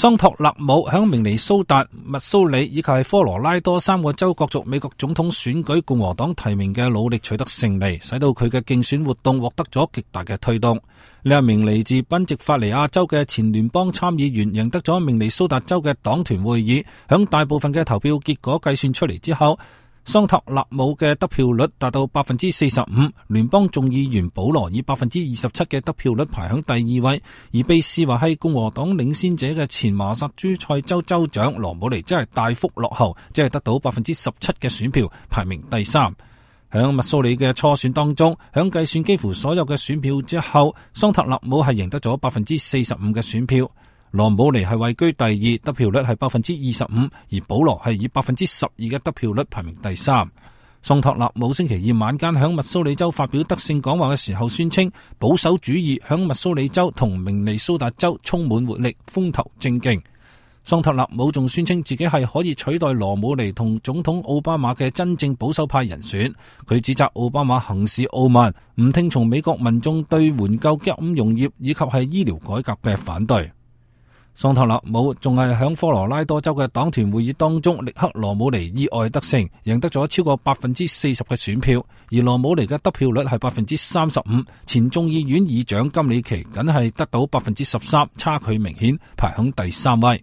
桑托納姆響明尼蘇達、密蘇里以及科羅拉多3個州角逐美國總統選舉共和黨提名嘅努力取得勝利，使到佢嘅競選活動獲得咗極大嘅推動。呢一名嚟自賓夕法尼亞州嘅前聯邦參議員贏得咗明尼蘇達州嘅黨團會議，響大部分嘅投票結果計算出嚟之後，桑托納姆嘅得票率達到 45%， 聯邦眾議員保羅以 27% 嘅得票率排響第二位，而被視為係共和黨領先者嘅前麻薩諸塞州州長羅姆尼真係大幅落後，即係得到 17% 嘅選票，排名第3。響密蘇里嘅初選當中，響計算幾乎所有嘅選票之後，桑托納姆係贏得咗 45% 嘅選票。羅姆尼係位居第2，得票率係 25%， 而保羅係以 12% 嘅得票率排名第3。桑托納姆星期二晚間響密蘇里州發表得勝講話嘅時候宣稱，保守主義響密蘇里州同明尼蘇達州充滿活力，風頭正勁。桑托納姆仲宣稱自己係可以取代羅姆尼同總統奧巴馬嘅真正保守派人選。佢指責奧巴馬行事傲慢，唔聽從美國民眾對援救金融業以及係醫療改革嘅反對。桑托納姆仲係響科羅拉多州嘅黨團會議當中力克羅姆尼意外得勝，贏得咗超過 40% 嘅選票，而羅姆尼嘅得票率係 35%， 前眾議院議長金里奇僅係得到 13%， 差距明顯，排響第3位。